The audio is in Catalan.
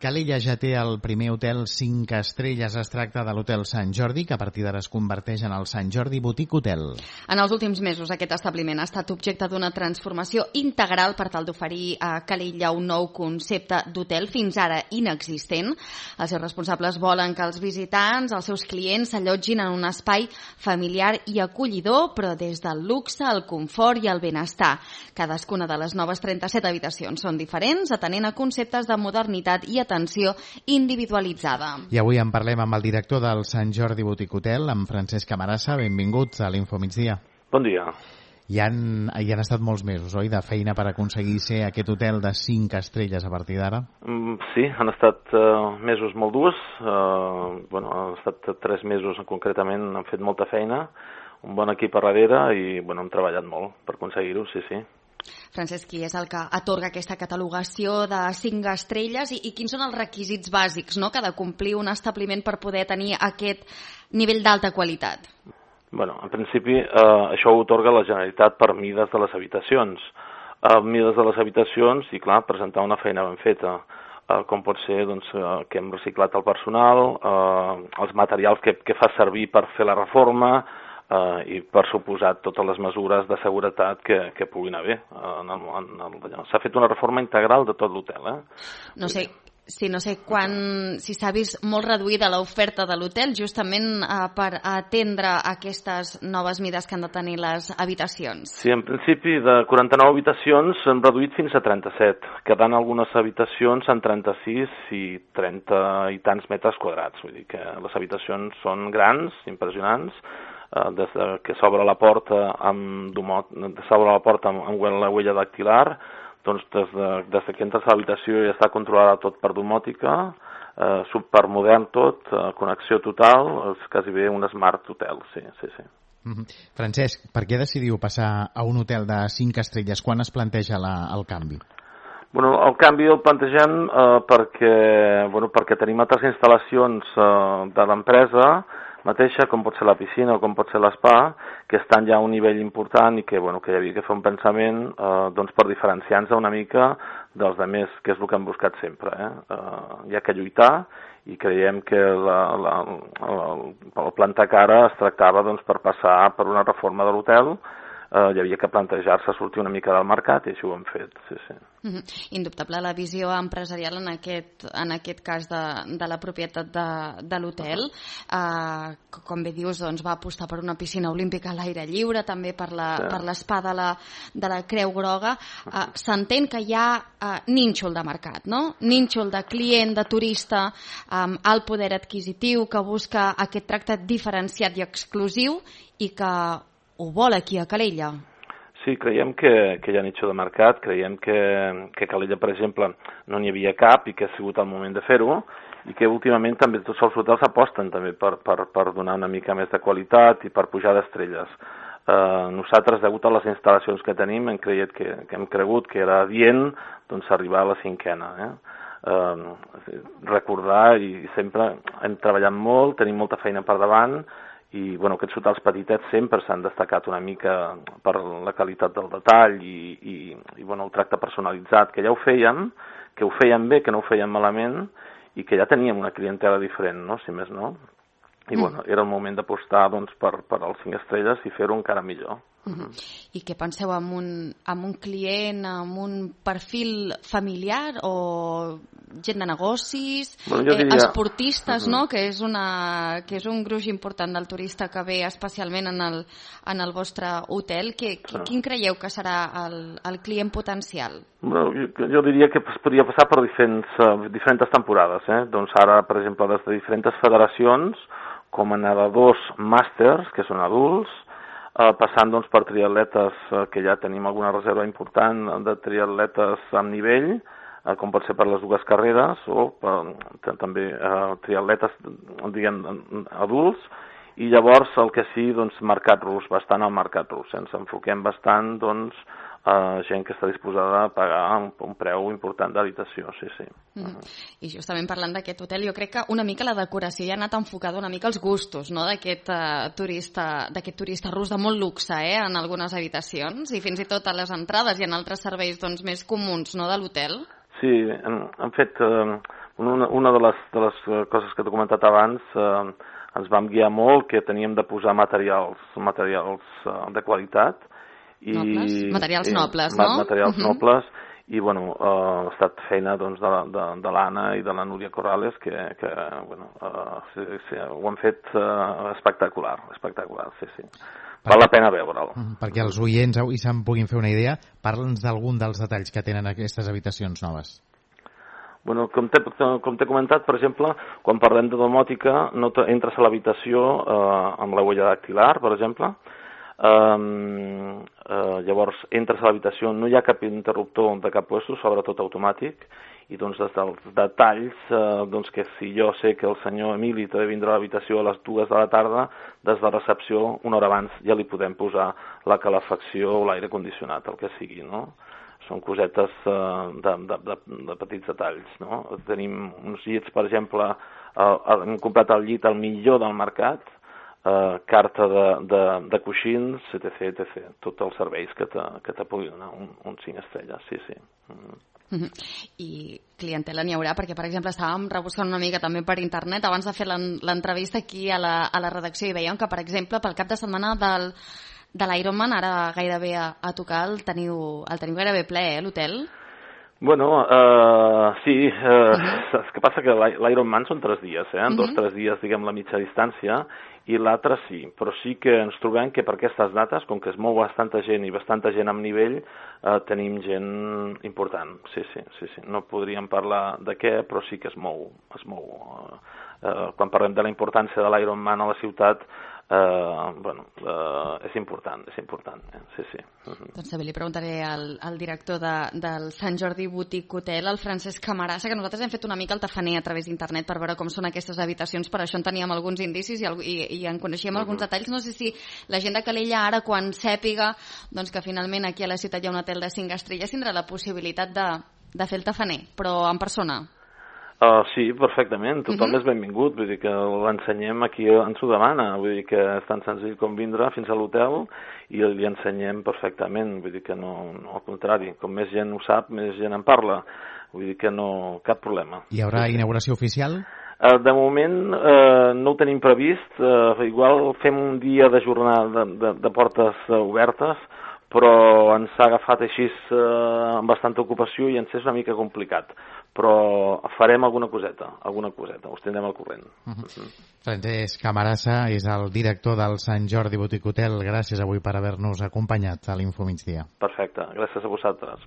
Calella ja té el primer hotel 5 estrelles. Es tracta de l'Hotel Sant Jordi, que a partir d'ara es converteix en el Sant Jordi Boutique Hotel. En els últims mesos aquest establiment ha estat objecte d'una transformació integral per tal d'oferir a Calella un nou concepte d'hotel fins ara inexistent. Els seus responsables volen que els visitants, els seus clients, s'allotgin en un espai familiar i acollidor, però des del luxe, el confort i el benestar. Cadascuna de les noves 37 habitacions són diferents, atenent a conceptes de modernitat i atenció individualitzada. I avui en parlem amb el director del Sant Jordi Boutique Hotel, amb Francesc Camarasa. Benvinguts a l'Info Migdia. Bon dia. Hi han estat molts mesos, oi, de feina per aconseguir ser aquest hotel de 5 estrelles a partir d'ara? Sí, han estat mesos molt durs. Han estat 3 mesos concretament, han fet molta feina, un bon equip a darrere i hem treballat molt per aconseguir-ho, sí. Francesc, qui és el que atorga aquesta catalogació de 5 estrelles i quins són els requisits bàsics que ha de complir un establiment per poder tenir aquest nivell d'alta qualitat? En principi, això ho atorga la Generalitat per mides de les habitacions. Mides de les habitacions i, clar, presentar una feina ben feta, com pot ser que hem reciclat el personal, els materials que fa servir per fer la reforma, i per suposat totes les mesures de seguretat que puguin haver. S'ha fet una reforma integral de tot l'hotel. No sé si s'ha vist molt reduïda l'oferta de l'hotel justament per atendre aquestes noves mides que han de tenir les habitacions. Sí, en principi de 49 habitacions s'han reduït fins a 37, quedant algunes habitacions en 36 i 30 i tants metres quadrats. Vull dir que les habitacions són grans, impressionants, des que s'obre la porta amb la huella dactilar, doncs des que entres a l'habitació ja està controlada tot per domòtica, supermodern tot, connexió total, és quasi bé un smart hotel, sí. Francesc, per què decidiu passar a un hotel de 5 estrelles? Quan es planteja el canvi? El canvi el plantegem perquè tenim altres instal·lacions de l'empresa mateixa, com pot ser la piscina o com pot ser l'espa, que estan ja a un nivell important i que hi havia que fer un pensament per diferenciar-nos una mica dels altres, que és el que hem buscat sempre. Hi ha que lluitar i creiem que el plantar cara es tractava per passar per una reforma de l'hotel. Hi havia que plantejar-se sortir una mica del mercat i això ho hem fet, sí. Indubtable la visió empresarial en aquest cas de la propietat de l'hotel. Com bé dius, va apostar per una piscina olímpica a l'aire lliure, també per l'espa de la Creu Groga. S'entén que hi ha nínxol de mercat, no? Nínxol de client, de turista, alt poder adquisitiu, que busca aquest tracte diferenciat i exclusiu i que ho vol aquí a Calella. Sí, creiem que hi ha nicho de mercat, creiem que Calella, per exemple, no n'hi havia cap i que ha sigut el moment de fer-ho i que últimament també tots els hotels aposten també per donar una mica més de qualitat i per pujar d'estrelles. Nosaltres, degut a les instal·lacions que tenim, hem cregut que era adient arribar a la 5a. Recordar, i sempre hem treballat molt, tenim molta feina per davant, i aquests hotels petitets sempre s'han destacat una mica per la qualitat del detall i el tracte personalitzat, que ja ho fèiem, que ho fèiem bé, que no ho fèiem malament i que ja teníem una clientela diferent, si més no. I era el moment d'apostar per els 5 estrelles i fer-ho encara millor. I què penseu, amb un client, amb un perfil familiar o gent de negocis, esportistes, que és un gruix important del turista que ve especialment en el vostre hotel? Quin creieu que serà el client potencial? Jo diria que es podria passar per diferents temporades. Ara, per exemple, des de diferents federacions, com a nedadors màsters, que són adults, passant per triatletes, que ja tenim alguna reserva important de triatletes amb nivell, com pot ser per les 2 carreres, o també triatletes, diguem, adults, i llavors el que sí, mercat rus, bastant al mercat rus. Ens enfoquem bastant, gent que està disposada a pagar un preu important d'habitació, sí. I justament parlant d'aquest hotel, jo crec que una mica la decoració ja ha anat enfocada una mica als gustos, d'aquest turista rus de molt luxe, en algunes habitacions, i fins i tot a les entrades i en altres serveis més comuns de l'hotel. Sí, hem fet Una de les coses que t'he comentat abans, ens vam guiar molt que teníem de posar materials de qualitat. Materials nobles, no? Materials nobles, i bueno, ha estat feina doncs, de l'Anna i de la Núria Corrales que ho han fet espectacular, sí. Val la pena veure'l. Perquè els oients avui se'n puguin fer una idea, parla'ns d'algun dels detalls que tenen aquestes habitacions noves. Bueno, com t'he comentat, per exemple, quan parlem de domòtica, entres a l'habitació amb la huella dactilar, per exemple. Llavors, entres a l'habitació, no hi ha cap interruptor de cap puesto, sobretot automàtic, i doncs des dels detalls, doncs que si jo sé que el senyor Emili té de vindre a l'habitació a les 2 de la tarda, des de recepció, una hora abans, ja li podem posar la calefacció o l'aire condicionat, el que sigui, no? Són cosetes de petits detalls, no? Tenim uns llits, per exemple, hem comprat el llit al millor del mercat, carta de coixins, etc. Tots els serveis que te puguin donar un 5 estrelles, sí. I clientela n'hi haurà, perquè per exemple estàvem rebuscant una mica també per internet abans de fer l'entrevista aquí a la redacció i veiem que per exemple pel cap de setmana de l'Ironman ara gairebé a tocar el teniu gairebé ple, l'hotel? Bueno, sí, saps què passa? Que l'Ironman són 3 dies, en 2-3 dies, diguem, la mitja distància, i l'altre sí, però sí que ens trobem que per aquestes dates, com que es mou bastanta gent i bastanta gent amb nivell, tenim gent important, sí. No podríem parlar de què, però sí que es mou. Quan parlem de la importància de l'Ironman a la ciutat, és important, sí. Doncs també li preguntaré al director del Sant Jordi Boutique Hotel, el Francesc Camarasa, que nosaltres hem fet una mica el tafaner a través d'internet per veure com són aquestes habitacions, per això en teníem alguns indicis i en coneixíem alguns detalls. No sé si la gent de Calella ara, quan sàpiga doncs, que finalment aquí a la ciutat hi ha un hotel de 5 estrelles, tindrà la possibilitat de fer el tafaner, però en persona. Sí, perfectament, tothom és benvingut, vull dir que l'ensenyem aquí, ens ho demana, vull dir que és tan senzill com vindre fins a l'hotel i li ensenyem perfectament, vull dir que no, al contrari, com més gent ho sap, més gent en parla, vull dir que no, cap problema. Hi haurà inauguració oficial? De moment no ho tenim previst, igual fem un dia de jornada de portes obertes, però ens ha agafat així amb bastanta ocupació i ens és una mica complicat. Però farem alguna coseta, us tindrem al corrent. Francesc Camarasa és el director del Sant Jordi Boutique Hotel. Gràcies avui per haver-nos acompanyat a l'Info Migdia. Perfecte, gràcies a vosaltres.